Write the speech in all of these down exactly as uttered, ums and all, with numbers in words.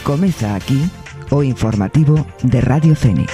Comeza aquí o informativo de Radio Fene.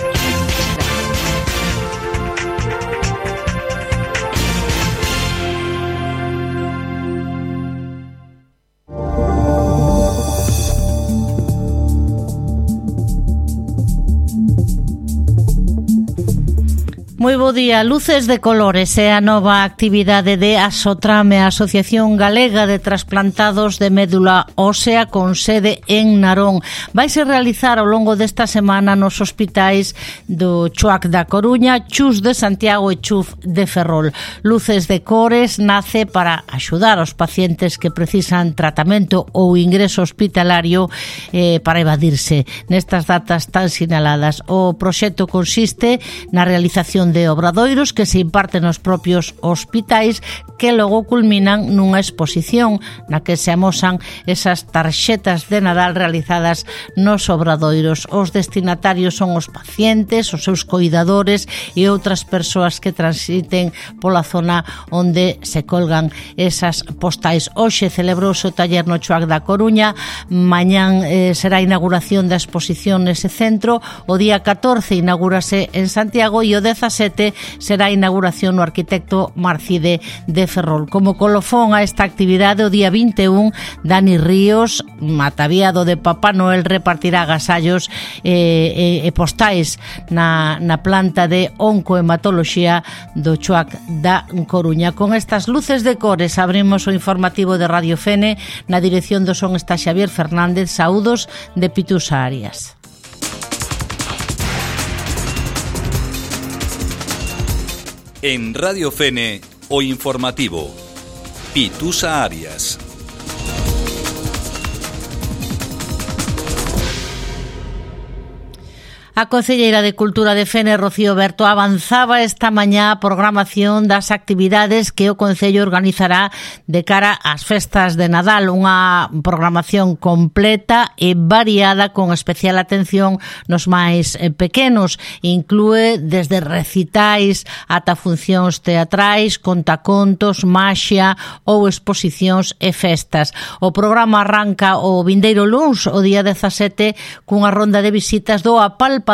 Moi bo día. Luces de colores é a nova actividade de Asotrame, a Asociación Galega de Trasplantados de Médula Ósea, con sede en Narón. Vaise realizar ao longo desta semana nos hospitais do Chuac da Coruña, Chus de Santiago e Chuf de Ferrol. Luces de cores nace para axudar aos pacientes que precisan tratamento ou ingreso hospitalario eh, para evadirse nestas datas tan sinaladas. O proxecto consiste na realización de obradoiros que se imparten nos propios hospitais, que logo culminan nunha exposición na que se amosan esas tarxetas de Nadal realizadas nos obradoiros. Os destinatarios son os pacientes, os seus coidadores e outras persoas que transiten pola zona onde se colgan esas postais. Hoxe celebrouse o taller no Chuac da Coruña, mañán eh, será a inauguración da exposición nese centro, o día catorce inaugúrase en Santiago e o dezasete será a inauguración no Arquitecto Marcide de Ferrol. Como colofón a esta actividade, o día vinte e un, Dani Ríos, ataviado de Papá Noel, repartirá agasallos e, e, e postais na, na planta de oncohematoloxía do Chuac da Coruña. Con estas luces de cores abrimos o informativo de Radio Fene. Na dirección do son está Xavier Fernández. Saúdos de Pitusa Arias. En Radio Fene, o informativo, Pitusa Arias. A concelleira de Cultura de Fene, Rocío Berto, avanzaba esta mañá a programación das actividades que o Concello organizará de cara ás festas de Nadal, unha programación completa e variada con especial atención nos máis pequenos. Inclúe desde recitais ata funcións teatrais, contacontos, maxia ou exposicións e festas. O programa arranca o vindeiro luns, o día dezasete, cunha ronda de visitas do Apal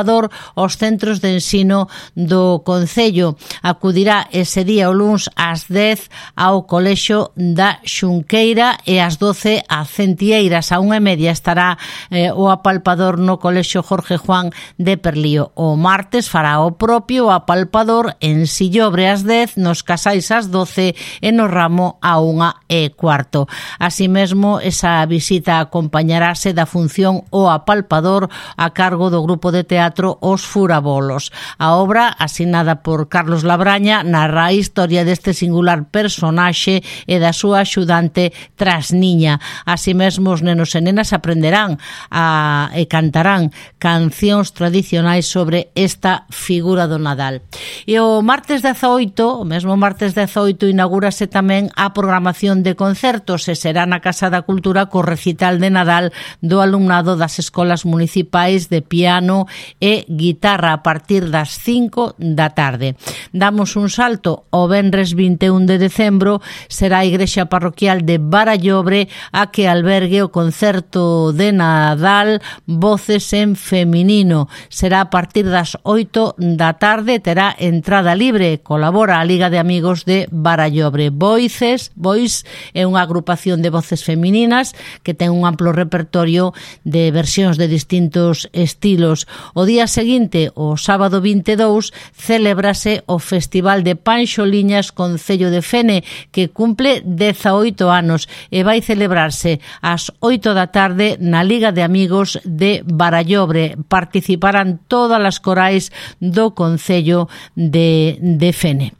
aos centros de ensino do Concello. Acudirá ese día o luns ás dez ao Colexio da Xunqueira e ás doce a Centieiras. A unha e media estará eh, o apalpador no Colexio Jorge Juan de Perlío. O martes fará o propio o apalpador en Sillobre ás dez, nos Casais ás doce e no Ramo a unha e cuarto. Así mesmo, esa visita acompañarase da función o apalpador a cargo do grupo de teatro Teatro Os Furabolos. A obra, asinada por Carlos Labraña, narra a historia deste singular personaxe e da súa axudante Trasniña. Así mesmo, os nenos e nenas aprenderán a, e cantarán cancións tradicionais sobre esta figura do Nadal. E o martes dezaoito, o mesmo martes dezaoito, inaugúrase tamén a programación de concertos e será na Casa da Cultura co recital de Nadal do alumnado das escolas municipais de piano e guitarra a partir das cinco da tarde. Damos un salto ao venres vinte e un de decembro, será a Igrexa Parroquial de Barallobre a que albergue o concerto de Nadal Voces en Feminino. Será a partir das oito da tarde, terá entrada libre. Colabora a Liga de Amigos de Barallobre. Voices, Voice é unha agrupación de voces femininas que ten un amplo repertorio de versións de distintos estilos. O día seguinte, o sábado vinte e dous, celebrase o Festival de Panxoliñas Concello de Fene, que cumple dezaoito anos e vai celebrarse ás oito da tarde na Liga de Amigos de Barallobre. Participarán todas as corais do Concello de, de Fene.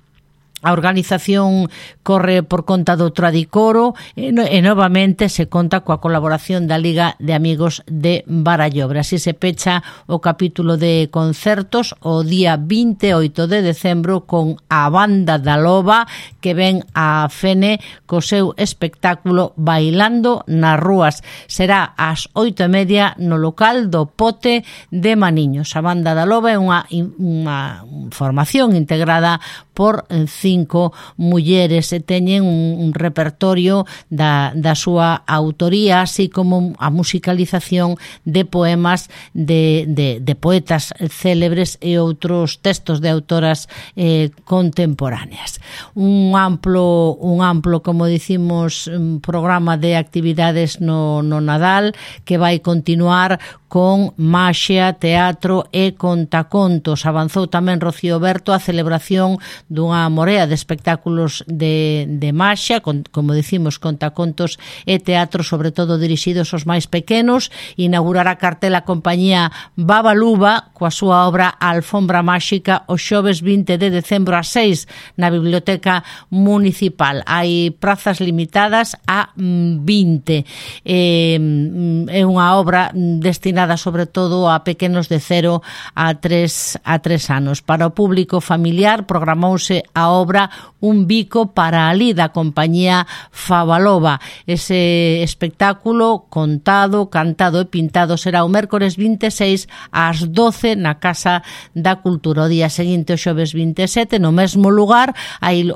A organización corre por conta do Tradicoro e, no, e novamente se conta coa colaboración da Liga de Amigos de Barallobre. Así se pecha o capítulo de concertos o día vinte e oito de decembro con a Banda da Loba, que ven a Fene co seu espectáculo Bailando nas Rúas. Será ás oito e media no local do Pote de Maniños. A Banda da Loba é unha, unha formación integrada por cinco cinco mulleres e teñen un, un repertorio da, da súa autoría, así como a musicalización de poemas de, de, de poetas célebres e outros textos de autoras eh, contemporáneas. Un amplo, un amplo, como dicimos, programa de actividades no, no Nadal que vai continuar con maxia, teatro e contacontos. Avanzou tamén Rocío Berto a celebración dunha morea de espectáculos de, de maxia, con, como dicimos, contacontos e teatro, sobre todo dirixidos aos máis pequenos. Inaugurará cartela a compañía Babaluba coa súa obra Alfombra Máxica o xoves vinte de decembro a seis na Biblioteca Municipal. Hai prazas limitadas a vinte. É, é unha obra destinada sobre todo a pequenos de cero a tres anos. Para o público familiar programouse a obra Un bico para ali da compañía Fabaloba. Ese espectáculo contado, cantado e pintado será o mércores vinte e seis ás doce na Casa da Cultura. O día seguinte, o xoves vinte e sete, no mesmo lugar,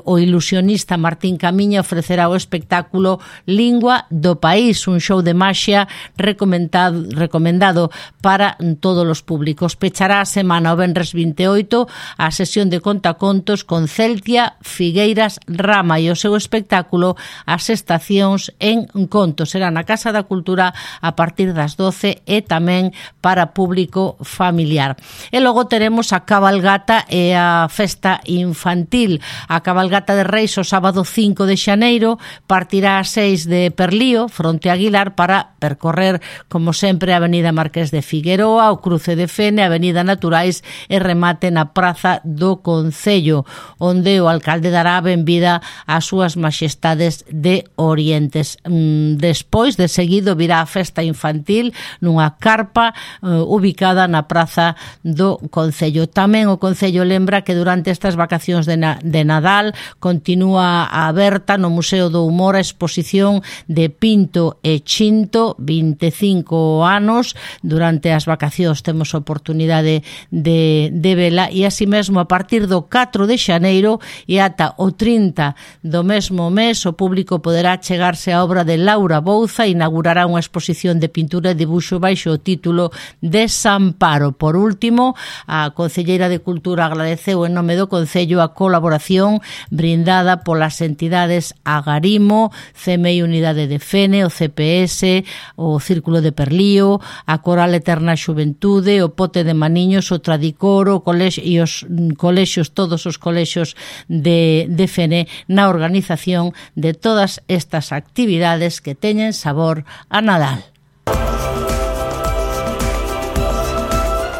o ilusionista Martín Camiña ofrecerá o espectáculo Lingua do País, un show de maxia recomendado, recomendado para todos os públicos. Pechará a semana o venres vinte e oito a sesión de contacontos con Celtia Figueiras Rama e o seu espectáculo As Estacións en Conto. Será na Casa da Cultura a partir das doce e tamén para público familiar. E logo teremos a cabalgata e a festa infantil. A cabalgata de Reis o sábado cinco de xaneiro partirá a seis de Perlío, fronte a Aguilar, para percorrer, como sempre, a Avenida Marqués de Figueroa, o Cruce de Fene, a Avenida Naturais e remate na Praza do Concello, onde o alcalde dará a benvida ás súas majestades de Orientes. Despois, de seguido, virá a festa infantil nunha carpa uh, ubicada na Praza do Concello. Tamén o Concello lembra que durante estas vacacións de, na, de Nadal continúa aberta no Museo do Humor a exposición de Pinto e Chinto, vinte e cinco anos. Durante as vacacións temos oportunidade de, de vela, e así mesmo a partir do catro de xaneiro e ata o trinta do mesmo mes o público poderá chegarse á obra de Laura Bouza. Inaugurará unha exposición de pintura e dibuixo baixo o título Desamparo. Por último, a Concelleira de Cultura agradeceu en nome do Concello a colaboración brindada polas entidades Agarimo, C M I Unidade de Fene, o C P S, o Círculo de Perlío, a Coral Eterna Xuventude, o Pote de Maniños, o Tradicoro, o colexio, e os colexios, todos os colexios de, de Fene, na organización de todas estas actividades que teñen sabor a Nadal.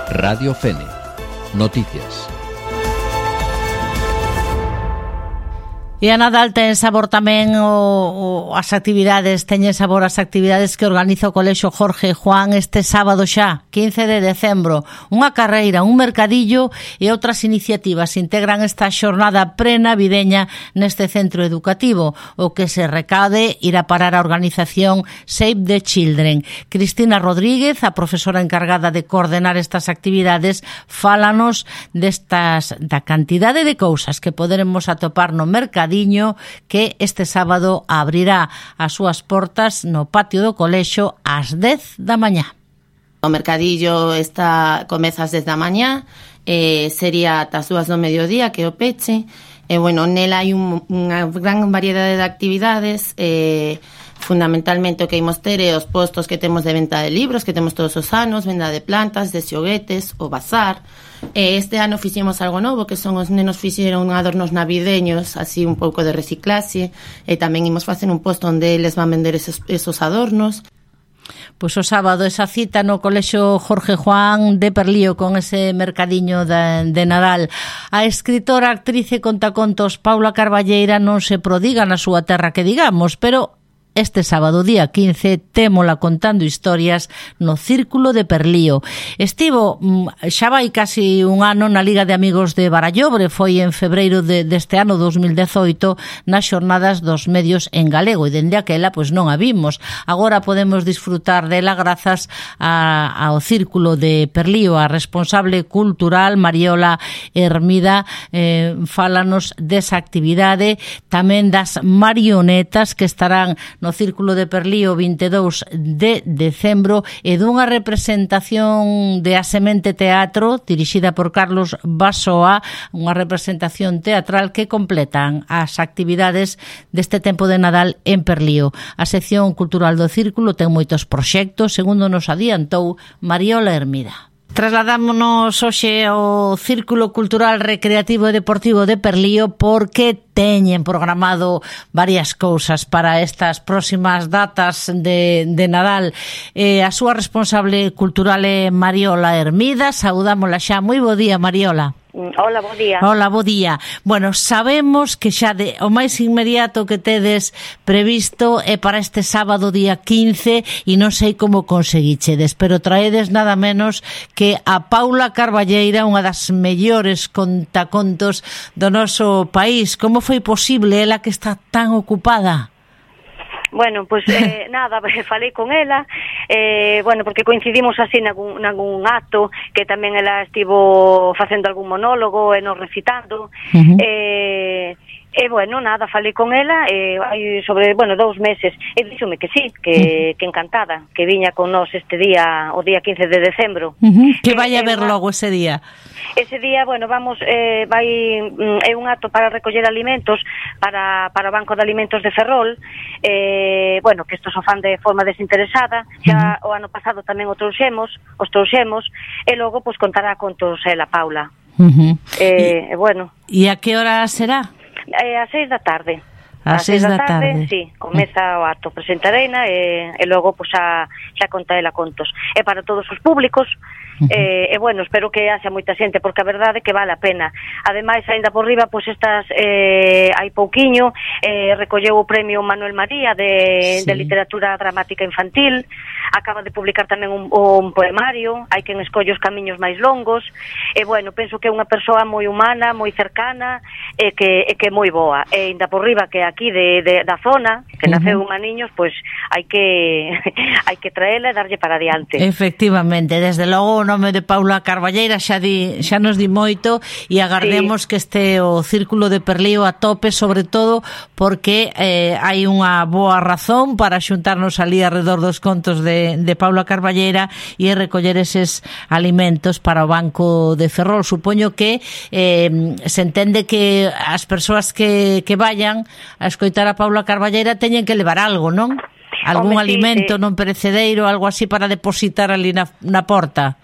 Radio Fene. Noticias. E a Nadal ten sabor tamén o, o, as actividades, teñen sabor as actividades que organiza o Colexio Jorge Juan este sábado xa, quince de decembro. Unha carreira, un mercadillo e outras iniciativas integran esta xornada prenavideña neste centro educativo. O que se recade irá parar a organización Save the Children. Cristina Rodríguez, a profesora encargada de coordenar estas actividades, fálanos destas, da cantidade de cousas que poderemos atopar no mercadillo que este sábado abrirá as súas portas no patio do colexio ás dez da mañá. O mercadillo está comeza ás dez da mañá, eh, sería ata as dúas do mediodía que o peche. E, bueno, nela hai un, unha gran variedade de actividades, eh, fundamentalmente o que imos ter é os postos que temos de venta de libros, que temos todos os anos, venda de plantas, de xoguetes, o bazar. E este ano fixemos algo novo, que son os nenos fixeron adornos navideños, así un pouco de reciclaxe, e tamén imos facer un posto onde eles van vender esos, esos adornos. Pois o sábado esa cita no Colexio Jorge Juan de Perlío con ese mercadiño de, de Nadal. A escritora, actriz e contacontos Paula Carballeira non se prodiga na súa terra que digamos, pero este sábado día quince témola contando historias no Círculo de Perlío. Estivo xa vai casi un ano na Liga de Amigos de Barallobre, foi en febreiro de, deste ano dos mil dezoito nas xornadas dos medios en galego, e dende aquela pois non a vimos. Agora podemos disfrutar dela grazas a, ao Círculo de Perlío. A responsable cultural Mariola Hermida eh, fálanos desa actividade, tamén das marionetas que estarán no Círculo de Perlío vinte e dous de decembro, e dunha representación de A Semente Teatro dirixida por Carlos Basoa, unha representación teatral que completan as actividades deste tempo de Nadal en Perlío. A sección cultural do Círculo ten moitos proxectos, segundo nos adiantou Mariola Hermida. Trasladámonos hoxe ao Círculo Cultural Recreativo e Deportivo de Perlío porque teñen programado varias cousas para estas próximas datas de, de Nadal. Eh, a súa responsable cultural é Mariola Hermida. Saudámola xa. Moi bo día, Mariola. Hola, bo día. Hola, bo día. Bueno, sabemos que xa de, o máis inmediato que tedes previsto é para este sábado día quince e non sei como conseguichedes, pero traedes nada menos que a Paula Carballeira, unha das mellores contacontos do noso país. Como foi posible, ela que está tan ocupada? Bueno, pois pues, eh, nada, falei con ela, eh, bueno, porque coincidimos así nalgún, nalgún acto que tamén ela estivo facendo algún monólogo e nos recitando, uh-huh. eh, e bueno, nada, falei con ela eh, hai sobre, bueno, dous meses e díxome que sí, que, uh-huh. que encantada que viña con nós este día, o día quince de decembro. Uh-huh. Que vai a ver eh, logo ese día? Ese día, bueno, vamos, eh, vai, é un acto para recoller alimentos para, para o Banco de Alimentos de Ferrol, eh, bueno, que estos o fan de forma desinteresada, xa uh-huh. o ano pasado tamén o trouxemos, os trouxemos, e logo, pois, contará contos ela, Paula. Uh-huh. Eh, e, bueno. E a que hora será? Eh, a seis da tarde. A seis da tarde, tarde. Sí, comeza o acto, presentareina e, e logo, pois, xa, xa conta ela contos. É para todos os públicos, uh-huh. eh, e, bueno, espero que haxa moita xente, porque a verdade é que vale a pena. Ademais, aínda por riba, pois, estas, eh, hai pouquiño, eh, recolleu o premio Manuel María de, sí. de literatura dramática infantil, acaba de publicar tamén un, un poemario, hai quen escolle os camiños máis longos, e, bueno, penso que é unha persoa moi humana, moi cercana, e que, e que moi boa. E, aínda por riba, que aquí de, de, da zona, que naceu uh-huh. unha niños, pois hai que hai que traela e darlle para adiante. Efectivamente, desde logo o nome de Paula Carballeira xa di, xa nos di moito, e agardemos sí. que este o Círculo de Perlío a tope, sobre todo porque eh, hai unha boa razón para xuntarnos ali alrededor dos contos de, de Paula Carballeira e recoller eses alimentos para o Banco de Ferrol. Supoño que eh, se entende que as persoas que, que vayan a escoitar a Paula Carballeira teñen que levar algo, non? Algún Home, alimento sí, sí. non perecederо, algo así para depositar ali na, na porta.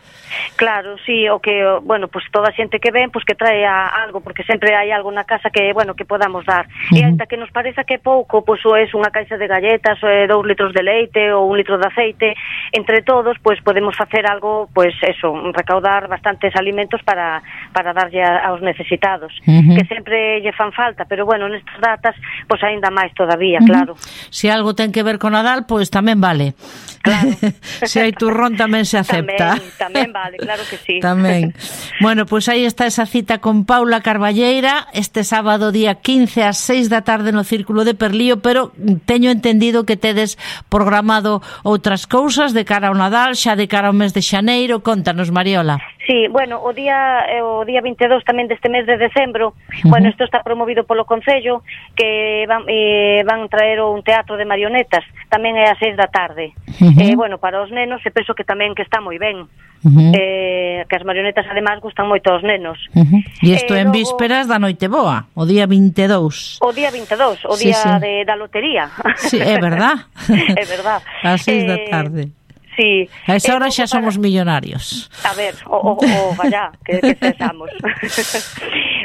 Claro, sí, o que, bueno, pues toda a xente que ven, pues que trae algo, porque sempre hai algo na casa que, bueno, que podamos dar. Uh-huh. E ainda que nos pareza que é pouco, pues ou é unha caixa de galletas, ou é dous litros de leite, ou un litro de aceite, entre todos, pues podemos facer algo, pues eso, recaudar bastantes alimentos para, para darlle a, aos necesitados, uh-huh. que sempre lle fan falta, pero bueno, nestas datas, pues aínda máis todavía, uh-huh. claro. Se algo ten que ver con Nadal, pues tamén vale. Claro. Se hai turrón tamén se acepta. Tamén, tamén vale, claro que sí. Tamén. Bueno, pois pues aí está esa cita con Paula Carballeira este sábado día quince ás seis da tarde no Círculo de Perlío, pero teño entendido que tedes programado outras cousas de cara ao Nadal, xa de cara ao mes de xaneiro. Contanos, Mariola. Sí, bueno, o día o día vinte e dous tamén deste mes de decembro, uh-huh. bueno, isto está promovido polo Concello, que van, eh, van traer un teatro de marionetas, tamén é ás seis da tarde. Uh-huh. Eh, bueno, para os nenos, e penso que tamén que está moi ben. Uh-huh. Eh, que as marionetas además gustan moito aos nenos. Uh-huh. E isto eh, en logo, vísperas da Noiteboa, o día vinte e dous. O día vinte e dous, o sí, día sí. de, da lotería. Sí, é verdad. É verdad. Ás seis eh, da tarde. Sí. A esa hora eh, xa somos para... millonarios. A ver, o, o, o vaya, que, que cesamos.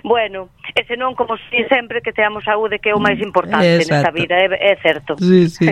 Bueno, e senón, como si sempre, que teamos saúde, que é o máis importante nesta vida, é, é certo. Sí, sí.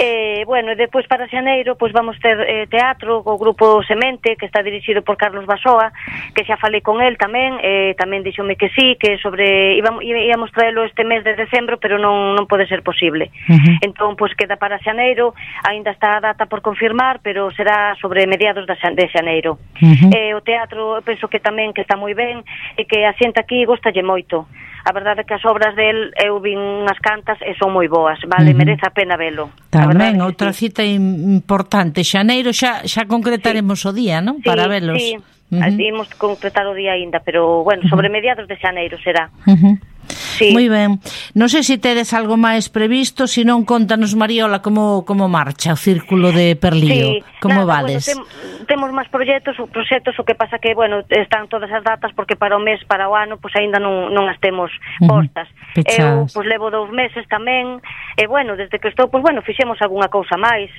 eh, bueno, e depois para xaneiro pois vamos ter eh, teatro co grupo Semente, que está dirixido por Carlos Basoa, que xa falei con el tamén, eh, tamén dixome que sí, que sobre íbamos, íbamos traelo este mes de decembro, pero non non pode ser posible. Uh-huh. Entón, pois queda para xaneiro, aínda está a data por confirmar, pero será sobre mediados de xaneiro. Uh-huh. Eh, o teatro, eu penso que tamén que está moi ben, e que a xente aquí gostalle moito. A verdade é que as obras del eu vin unhas cantas e son moi boas, vale, uh-huh. merece a pena velo. Tamén outra sí. cita importante, xaneiro xa xa concretaremos sí. o día, non? Sí, para velos. Sí, uh-huh. imos concretar o día aínda, pero bueno, sobre uh-huh. mediados de xaneiro será. Uh-huh. Sí. Moi ben. Non sei se tedes algo máis previsto, se non contanos, Mariola, como como marcha o Círculo de Perlío. Sí, como nada, vades? Bueno, tem, temos máis proxectos, proxectos, o que pasa que, bueno, están todas as datas porque para o mes, para o ano, pois pues, aínda non non as temos postas. Uh-huh. Eu pois pues, levo dous meses tamén, e bueno, desde que estou, pois pues, bueno, fixemos algunha cousa máis.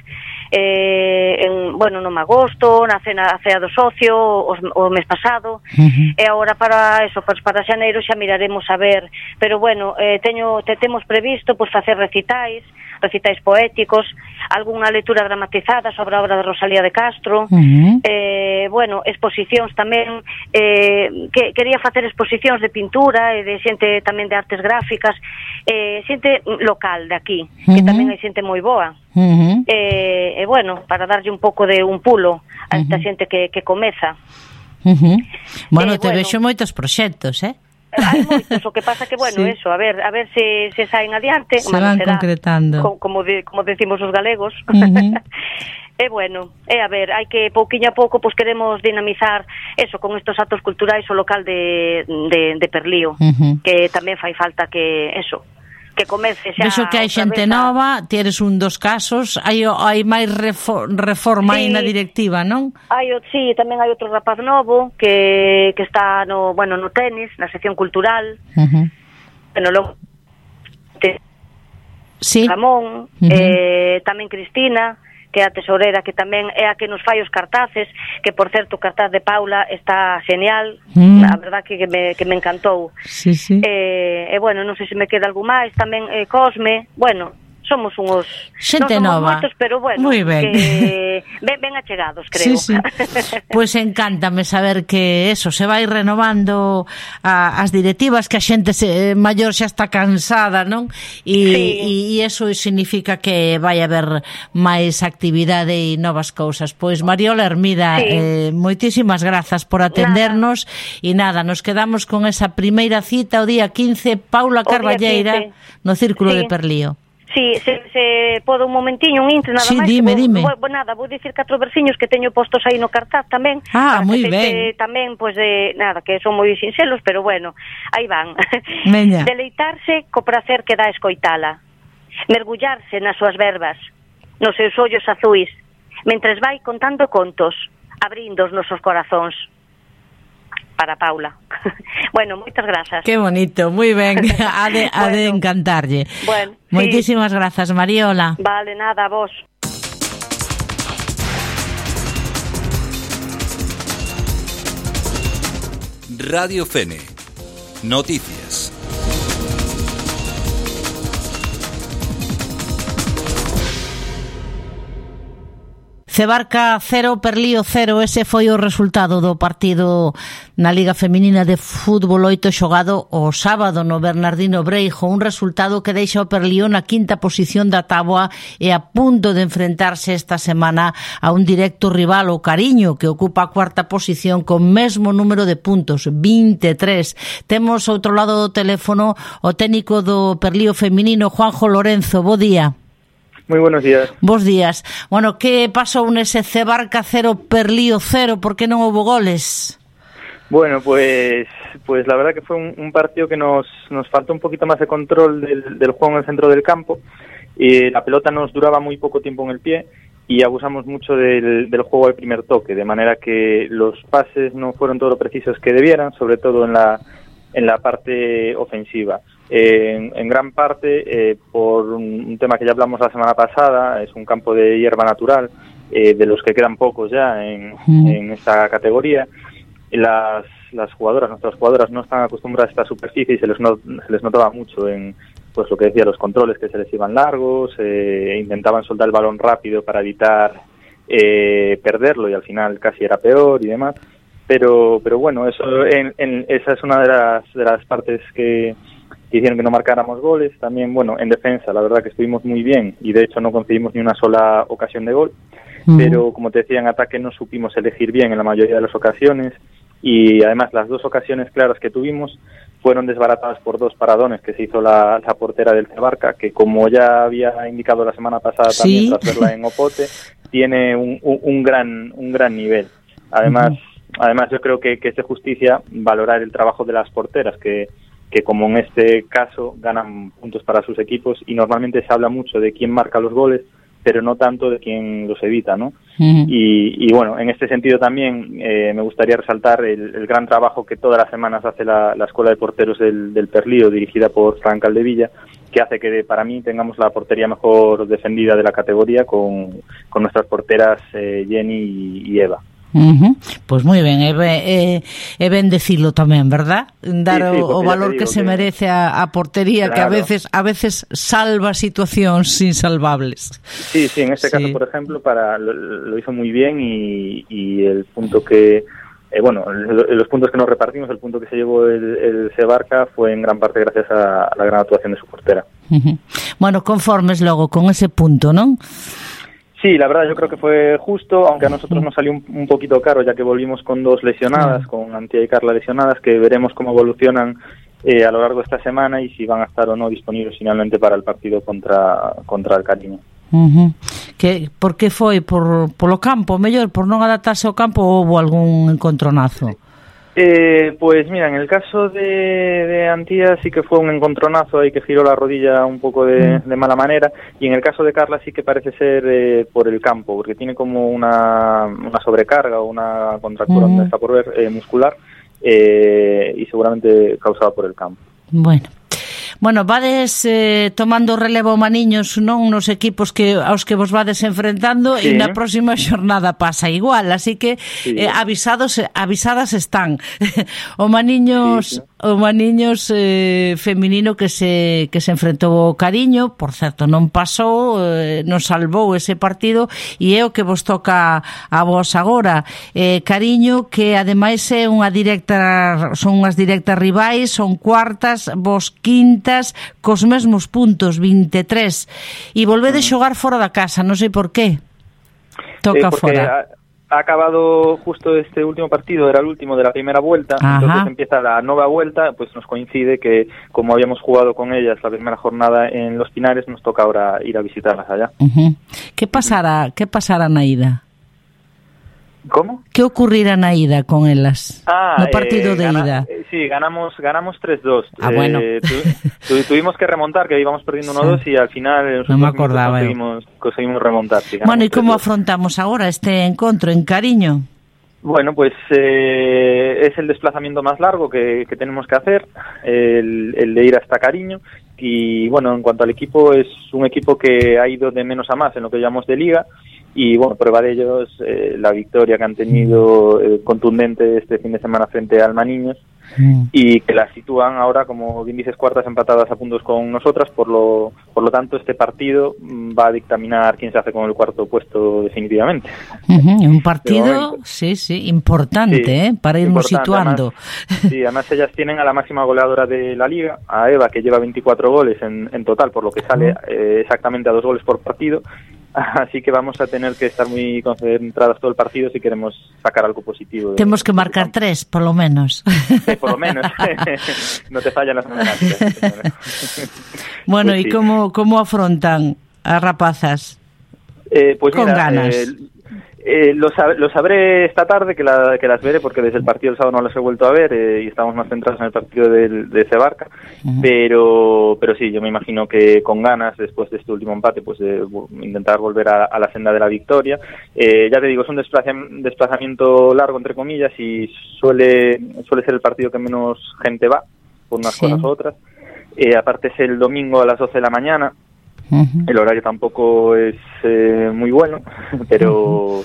Eh, en, bueno, no agosto, na cena, a cea do socio, os, o mes pasado, uh-huh. e agora para eso, pues, para xaneiro xa miraremos a ver. Pero bueno, eh, teño, te temos previsto pues, facer recitais, recitais poéticos, algunha lectura dramatizada sobre a obra de Rosalía de Castro, uh-huh. eh, bueno, exposicións tamén, eh, que quería facer exposicións de pintura e de xente tamén de artes gráficas, eh, xente local de aquí, uh-huh. que tamén hai xente moi boa. Uh-huh. E, eh, bueno, para darlle un pouco de un pulo a esta uh-huh. xente que, que comeza. Uh-huh. Bueno, eh, te bueno, vexo moitos proxectos, eh? Hai moitos, o que pasa que, bueno, sí. eso, a ver, a ver se, se saen adiante. Se van será, concretando. Co, como, de, como decimos os galegos. Uh-huh. E bueno, e a ver, hai que pouquiño a pouco, pois queremos dinamizar eso, con estos actos culturais o local de, de, de Perlío, uh-huh. que tamén fai falta que, eso, que comece xa. Vexo que hai xente a... nova, tienes un dos casos, hai hai máis refor, reforma sí. aí na directiva, non? Hai, sí, tamén hai outro rapaz novo que que está no, bueno, no tenis, na sección cultural. Uh-huh. Bueno, logo te... sí. Ramón, uh-huh. eh, tamén Cristina, que é a tesoreira, que tamén é a que nos fai os cartaces, que por certo o cartaz de Paula está genial, mm. a verdad que me, que me encantou. Sí, sí. E, eh, bueno, non sei se me queda algo máis, tamén eh, Cosme, bueno, somos uns... Xente non somos nova. Moitos, pero bueno, muy ben. Que ben, ben achegados, creo. Sí, sí. Pois pues encántame saber que eso, se vai renovando a, as directivas, que a xente se, maior xa está cansada, non? E, sí. e eso significa que vai haber máis actividade e novas cousas. Pois Mariola Hermida, sí. eh, moitísimas grazas por atendernos, e nada. nada, nos quedamos con esa primeira cita o día quince, Paula Carballeira, no Círculo sí. de Perlío. Sí, se, se podo un momentiño, un intre, nada sí, máis. Dime, vou, dime. Vou, nada, vou dicir catro versiños que teño postos aí no cartaz tamén. Ah, moi ben. Tamén, pois, pues, de, nada, que son moi sincelos, pero bueno, aí van. Meña. Deleitarse co prazer que dá escoitala. Mergullarse nas súas verbas, nos seus ollos azuis, mentres vai contando contos, abrindo os nosos corazóns. Para Paula. Bueno, moitas grazas. Qué bonito, moi ben. Ha de, ha bueno, de encantarlle. Bueno, moitísimas sí. grazas, Mariola. Vale, nada, a vos. Radio Fene. Noticias. Cebarca cero, Perlío cero, ese foi o resultado do partido na Liga Feminina de Fútbol oito xogado o sábado no Bernardino Breijo, un resultado que deixa o Perlío na quinta posición da táboa e a punto de enfrentarse esta semana a un directo rival, o Cariño, que ocupa a cuarta posición con mesmo número de puntos, vinte e tres. Temos outro lado do teléfono o técnico do Perlío feminino, Juanjo Lorenzo. Bo día. Muy buenos días. Bos días. Bueno, que pasou nese Cebarca cero, Perlío cero? Por que non houbo goles? Bueno, pues pues la verdad que fue un, un partido que nos, nos faltó un poquito más de control del, del juego en el centro del campo. Y la pelota nos duraba muy poco tiempo en el pie y abusamos mucho del, del juego del primer toque, de manera que los pases no fueron todo lo precisos que debieran, sobre todo en la, en la parte ofensiva. Eh, en, en gran parte eh, por un, un tema que ya hablamos la semana pasada, es un campo de hierba natural, eh, de los que quedan pocos ya en, mm. en esta categoría. Las, las jugadoras, nuestras jugadoras no están acostumbradas a esta superficie y se les, no, se les notaba mucho en, pues lo que decía, los controles que se les iban largos, eh, intentaban soltar el balón rápido para evitar eh, perderlo y al final casi era peor y demás. Pero pero bueno, eso en, en, esa es una de las, de las partes que, que hicieron que no marcáramos goles. También, bueno, en defensa, la verdad que estuvimos muy bien y de hecho no conseguimos ni una sola ocasión de gol. Uh-huh. Pero como te decía, en ataque no supimos elegir bien en la mayoría de las ocasiones y además las dos ocasiones claras que tuvimos fueron desbaratadas por dos paradones que se hizo la, la portera del Cebarca, que como ya había indicado la semana pasada, ¿sí?, también tras verla en Opote, tiene un, un, un gran un gran nivel. Además, uh-huh. además yo creo que, que es de justicia valorar el trabajo de las porteras, que, que como en este caso ganan puntos para sus equipos y normalmente se habla mucho de quién marca los goles, pero no tanto de quién los evita, ¿no? Uh-huh. Y, y bueno, en este sentido también eh, me gustaría resaltar el, el gran trabajo que todas las semanas hace la, la Escuela de Porteros del, del Perlío, dirigida por Fran Caldevilla, que hace que para mí tengamos la portería mejor defendida de la categoría con, con nuestras porteras eh, Jenny y, y Eva. Uh-huh. Pues moi ben, é ben, é, é ben decirlo tamén, verdad? Dar sí, sí, o, o valor que se que... merece a, a portería, claro, que a veces a veces salva situacións insalvables. Sí, sí, en este sí. caso, por ejemplo, para lo, lo hizo muy bien y, y el punto que eh, bueno, los puntos que nos repartimos, el punto que se llevó el, el Cebarca fue en gran parte gracias a, a la gran actuación de su portera. Uh-huh. Bueno, conformes logo con ese punto, ¿non? Sí, la verdad yo creo que fue justo, aunque a nosotros nos salió un, un poquito caro, ya que volvimos con dos lesionadas, con Antía y Carla lesionadas, que veremos cómo evolucionan eh, a lo largo de esta semana y si van a estar o no disponibles finalmente para el partido contra contra el Cariño. Uh-huh. Que, por que foi? Por polo campo, mellor, por non adaptarse ao campo, ou houve algún encontronazo? Eh, pues mira, en el caso de, de Antía sí que fue un encontronazo ahí que giró la rodilla un poco de, de mala manera, y en el caso de Carla sí que parece ser eh, por el campo, porque tiene como una, una sobrecarga o una contractura, mm. está por ver, eh, muscular, eh, y seguramente causada por el campo. Bueno. Bueno, vades eh, tomando relevo maniños, non, nos equipos que aos que vos vades enfrentando, sí. E na próxima xornada pasa igual, así que sí. eh, avisados avisadas están. O maniños sí, sí. o maniños eh, feminino que se que se enfrentou ao Cariño, por certo, non pasou, eh, non salvou ese partido, e é o que vos toca a vos agora. Eh, Cariño, que ademais é unha directa, son unhas directas rivais, son cuartas, vos quintas, cos mesmos puntos, vinte e tres, e volvedes xogar fora da casa, non sei por qué. Toca eh, fora. Ha, ha acabado justo este último partido, era el último de la primera vuelta. Ajá. Entonces empieza la nueva vuelta, pues nos coincide que como habíamos jugado con ellas la primera jornada en Los Pinares, nos toca ahora ir a visitarlas allá. Uh-huh. ¿Qué pasará, qué pasará na ida? ¿Cómo? ¿Qué ocurrirá na ida con elas? Ah, no partido eh, de gana, ida. Eh, sí, ganamos ganamos tres dos. Ah, bueno. Eh, tu, tu, tuvimos que remontar, que íbamos perdiendo uno dos, sí. Y al final no me acordaba conseguimos, conseguimos remontar. Sí, bueno, ¿y cómo afrontamos ahora este encuentro en Cariño? Bueno, pues eh, es el desplazamiento más largo que, que tenemos que hacer, el, el de ir hasta Cariño. Y bueno, en cuanto al equipo, es un equipo que ha ido de menos a más en lo que llamamos de liga. Y bueno, prueba de ellos eh, la victoria que han tenido eh, contundente este fin de semana frente al Maniños, mm. y que las sitúan ahora, como bien dices, cuartas empatadas a puntos con nosotras. Por lo por lo tanto, este partido va a dictaminar quién se hace con el cuarto puesto definitivamente. Uh-huh. Un partido, sí, sí, importante, sí, ¿eh? Para irnos situando. Además, sí, además ellas tienen a la máxima goleadora de la liga, a Eva, que lleva veinticuatro goles en, en total, por lo que sale eh, exactamente a dos goles por partido. Así que vamos a tener que estar muy concentradas todo el partido si queremos sacar algo positivo. Tenemos que marcar tres, por lo menos. Sí, por lo menos. No te fallan las matemáticas. Bueno, pues ¿y sí. cómo, cómo afrontan a rapazas? Eh, pues Con mira, ganas. Eh, eh, lo, sab- lo sabré esta tarde, que, la, que las veré, porque desde el partido del sábado no las he vuelto a ver, eh, y estamos más centrados en el partido del, de Cebarca. Uh-huh. pero pero sí, yo me imagino que con ganas, después de este último empate, pues de intentar volver a, a la senda de la victoria. Eh, ya te digo, es un desplazam- desplazamiento largo, entre comillas, y suele suele ser el partido que menos gente va, por unas sí. cosas u otras. Eh, aparte es el domingo a las doce de la mañana. Uh-huh. El horario tampoco es eh, muy bueno, pero uh-huh.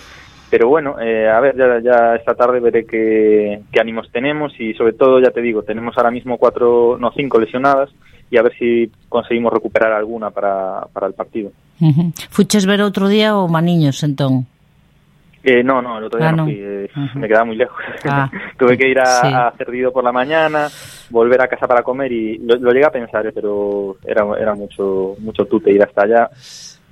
pero bueno, eh, a ver, ya, ya esta tarde veré qué, qué ánimos tenemos, y sobre todo, ya te digo, tenemos ahora mismo cuatro, no, cinco lesionadas, y a ver si conseguimos recuperar alguna para, para el partido. Uh-huh. Fuches ver outro día o Maniños, entón? Eh, no, no, el otro día ah, no, no fui, eh, uh-huh. me quedaba muy lejos. Ah. Tuve que ir a, sí. a Cerdido por la mañana, volver a casa para comer y lo, lo llegué a pensar, eh, pero era, era mucho, mucho tute ir hasta allá.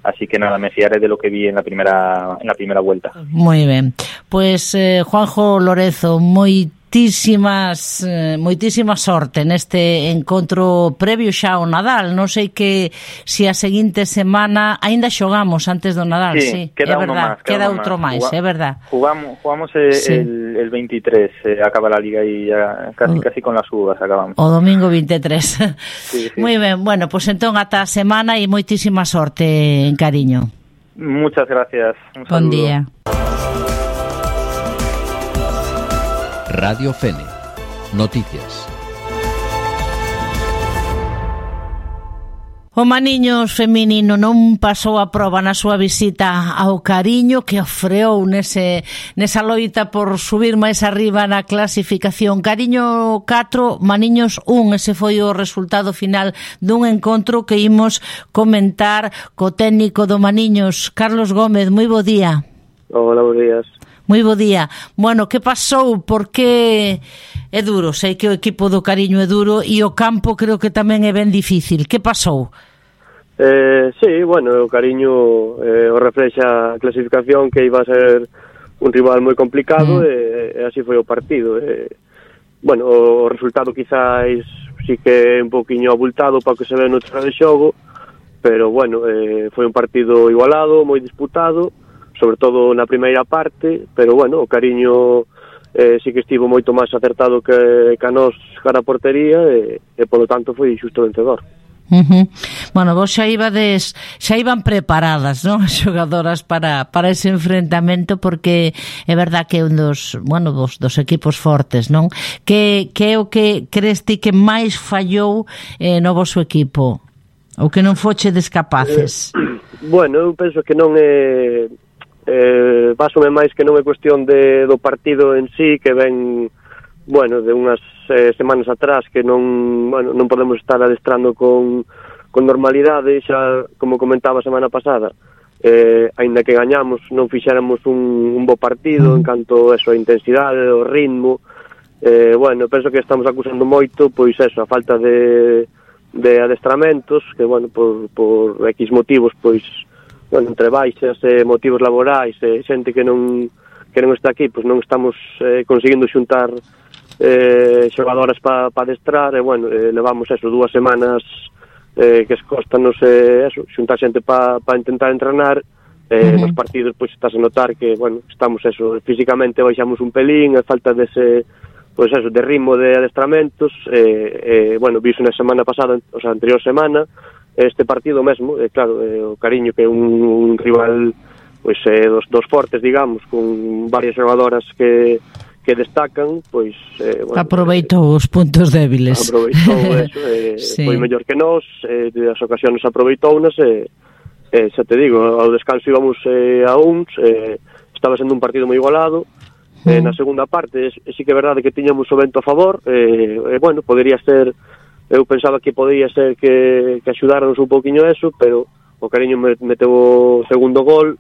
Así que nada, me fiaré de lo que vi en la primera en la primera vuelta. Muy ben. Pois, eh, Juanjo Lorezo, moitísimas eh, moitísima sorte neste encontro previo xa ao Nadal. Non sei que se a seguinte semana aínda xogamos antes do Nadal, sí, sí, queda é verdad, más, queda, queda outro máis, é verdad. Jugamos, jugamos el, sí. el, el veintitrés, eh, acaba la liga y ya casi, o, casi con las uvas acabamos. O domingo veintitrés. Sí, sí. Moi ben, bueno, pois pues entón ata a semana e moitísima sorte, en cariño. Muchas gracias. Un Bon saludo. día. Radio Fene. Noticias. O Maniños feminino non pasou a proba na súa visita ao Cariño, que ofreou nese, nesa loita por subir máis arriba na clasificación. Cariño catro, Maniños un, ese foi o resultado final dun encontro que imos comentar co técnico do Maniños, Carlos Gómez. Moi bo día. Hola, bons días. Moi bo día. Bueno, que pasou? Porque é duro, sei que o equipo do Cariño é duro e o campo creo que tamén é ben difícil. Que pasou? Eh, sí, bueno, o Cariño eh, o reflexa a clasificación, que iba a ser un rival moi complicado, mm. e, e así foi o partido. Eh, bueno, o resultado quizás sí que é un poquinho abultado para que se ve no terreno de xogo, pero bueno, eh, foi un partido igualado, moi disputado, sobre todo na primeira parte, pero bueno, o Cariño eh, sí que estivo moito máis acertado que, que a nos cara a portería e, e polo tanto foi xusto vencedor. Uh-huh. Bueno, vos xa ibades, xa iban preparadas, non, as xogadoras para, para ese enfrentamento, porque é verdad que é un dos, bueno, dos, dos equipos fortes, non? Que, que é o que crees ti que máis fallou eh, no vosso equipo? Ou que non fochedes capaces? Eh, bueno, eu penso que non é... Eh, basome máis que non é cuestión de, do partido en sí, que ven, bueno, de unhas eh, semanas atrás, que non, bueno, non podemos estar adestrando con, con normalidade, xa como comentaba a semana pasada, eh, aínda que gañamos, non fixéramos un, un bo partido en canto a eso, a intensidade, o ritmo, eh, bueno, penso que estamos acusando moito, pois eso, a falta de, de adestramentos, que, bueno, por, por X motivos, pois, bueno, entre baixas, eh, motivos laborais, eh, xente que non que non está aquí, pois non estamos eh, conseguindo xuntar eh, xogadoras para pa adestrar, e bueno, eh, levamos eso, dúas semanas eh, que escostanos eh, eso, xuntar xente para pa intentar entrenar, eh, uh-huh. nos partidos pois estás a notar que, bueno, estamos eso, físicamente baixamos un pelín, a falta dese, pois eso, de ritmo de adestramentos, eh, eh, bueno, viso na semana pasada, o sea, anterior semana, este partido mesmo, eh, claro, eh, o Cariño, que é un, un rival pois eh, dos, dos fortes, digamos, con varias xogadoras que, que destacan, pois eh, bueno, aproveitou eh, os puntos débiles, aproveitou eso, eh, sí. Foi mellor que nós, eh, as ocasións aproveitounas, e eh, xa te digo, ao descanso íbamos eh, a uns, eh, estaba sendo un partido moi igualado. Mm. Eh, na segunda parte, eh, sí que é verdade que tiñamos o vento a favor, eh, eh, bueno, podería ser. Eu pensaba que podía ser que, que axudarnos un poquinho eso, pero o Cariño meteu o segundo gol,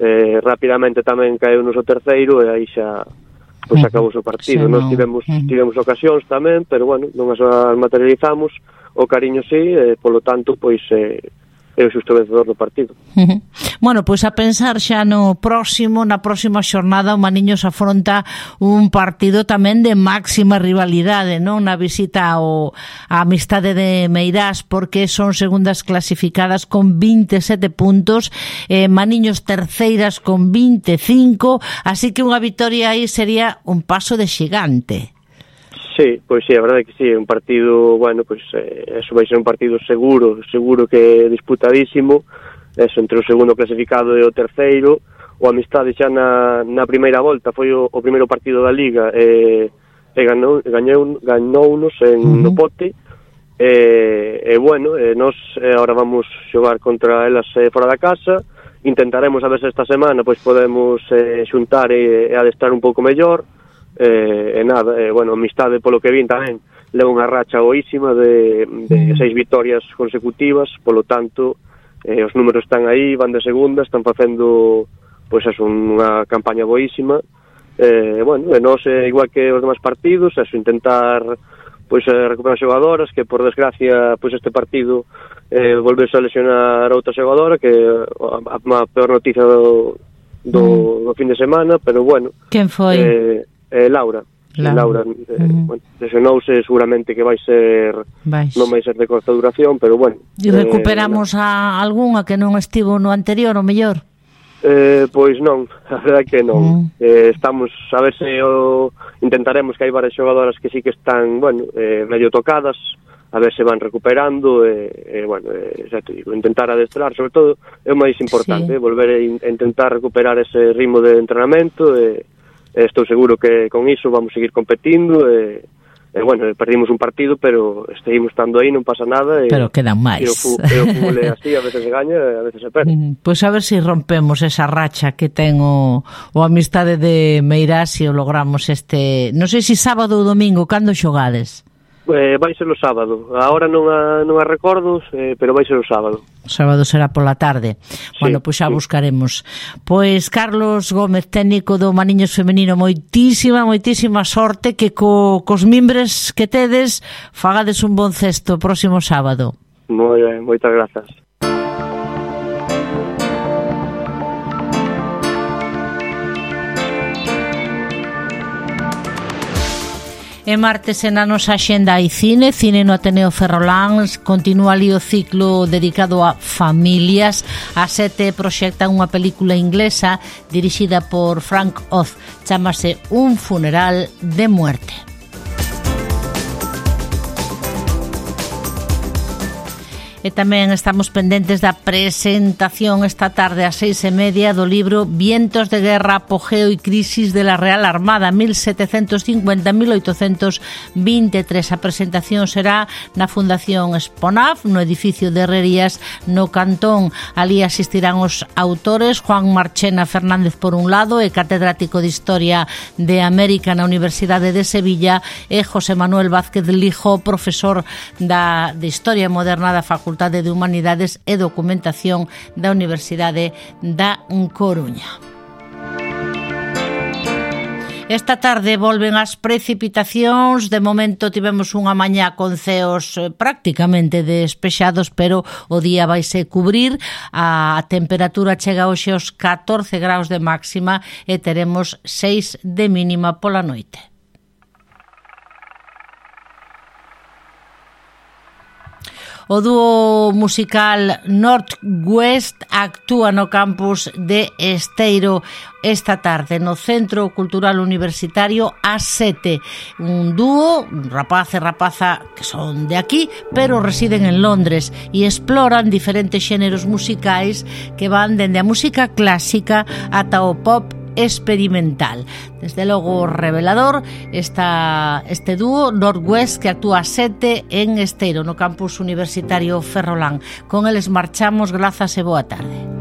eh, rapidamente tamén caeu nos o terceiro, e aí xa pois acabou o partido. Sí, Nos tivemos, tivemos ocasións tamén, pero bueno, non as materializamos, o Cariño sí, e polo tanto, pois... Eh, é o xusto vencedor do partido. Uh-huh. Bueno, pois a pensar xa no próximo, na próxima xornada, o Maniños afronta un partido tamén de máxima rivalidade, non? Na visita ao a Amistade de Meirás, porque son segundas clasificadas con veintisiete puntos, eh, Maniños terceiras con veinticinco, así que unha vitoria aí sería un paso de xigante. Sí, pois sí, a verdade é que sí, un partido, bueno, pois eh, eso vai ser un partido seguro, seguro que disputadísimo, eso, entre o segundo clasificado e o terceiro. O Amistade xa na, na primeira volta foi o, o primeiro partido da Liga, e, e ganou, gañou, ganounos en uh-huh. no Pote, e, e bueno, e nós eh, ahora vamos xogar contra elas eh, fora da casa, intentaremos a ver se esta semana pois podemos eh, xuntar e, e adestrar un pouco mellor. Eh, e nada, eh, bueno, Amistade polo que vin tamén leva unha racha boísima de, de seis vitorias consecutivas, polo tanto, eh, os números están aí, van de segunda, están facendo, pois, es unha campaña boísima. Eh, bueno, e nós, eh, igual que os demais partidos, eso, intentar pois eh, recuperar xogadoras, que por desgracia pois este partido eh, volveuse a lesionar outra xogadora, que a, a peor noticia do, do, mm. do fin de semana, pero bueno. Quen foi? Eh, eh, Laura. Laura, Laura eh, mm. bueno, lesionouse, seguramente que vai ser Vais. non vai ser de corta duración, pero bueno. E recuperamos eh, a algunha que non estivo no anterior, o mellor? Eh, pois non, a verdade que non. Mm. Eh, estamos a ver se o intentaremos, que hai varias xogadoras que sí que están, bueno, eh, medio tocadas, a ver se van recuperando, e eh, eh, bueno, eh, xa te digo, intentar adestrar, sobre todo é o máis importante, sí. eh, volver a, in, a intentar recuperar ese ritmo de entrenamento, e eh, estou seguro que con iso vamos seguir competindo, e eh, Eh, bueno, perdimos un partido, pero seguimos estando aí, non pasa nada. E, pero quedan máis. E o, fu, e o fútbol é así, a veces se gaña, a veces se perde. Pois pues a ver se si rompemos esa racha que ten o, o Amistade de Meirás e o logramos este... Non sei se si sábado ou domingo, cando xogades? Eh, vai ser o sábado. Agora non a, non a recordo, eh, pero vai ser o sábado. O sábado será pola tarde. Sí, bueno, pois xa sí. buscaremos. Pois Carlos Gómez, técnico do Maniños Femenino, moitísima, moitísima sorte, que co, cos mimbres que tedes fagades un bon cesto o próximo sábado. Moi ben, moitas grazas. E martes na nosa axenda hai cine, cine no Ateneo Ferrolán, continúa ali o ciclo dedicado a familias. A sete proxecta unha película inglesa dirixida por Frank Oz, chámase Un funeral de muerte. E tamén estamos pendentes da presentación esta tarde ás seis e media do libro Vientos de guerra, apogeo e crisis de la Real Armada mil setecentos cincuenta a mil oitocentos veintitrés. A presentación será na Fundación Esponaf, no edificio de Herrerías, no Cantón. Ali asistirán os autores Juan Marchena Fernández por un lado, e catedrático de Historia de América na Universidade de Sevilla, e José Manuel Vázquez Lijo, profesor da, de Historia Moderna da Facultade de Humanidades e Documentación da Universidade da Coruña. Esta tarde volven as precipitacións. De momento tivemos unha mañá con ceos prácticamente despexados, pero o día vaise cubrir. A temperatura chega hoxe aos catorce graus de máxima e teremos seis de mínima pola noite. O dúo musical North West actúa no campus de Esteiro esta tarde no Centro Cultural Universitario ás sete. Un dúo, un rapaz e rapaza que son de aquí, pero residen en Londres e exploran diferentes xéneros musicais que van dende a música clásica ata o pop experimental. Desde logo revelador esta, este dúo North West, que actúa a sete en Esteiro no campus universitario Ferrolán. Con eles marchamos, grazas e boa tarde.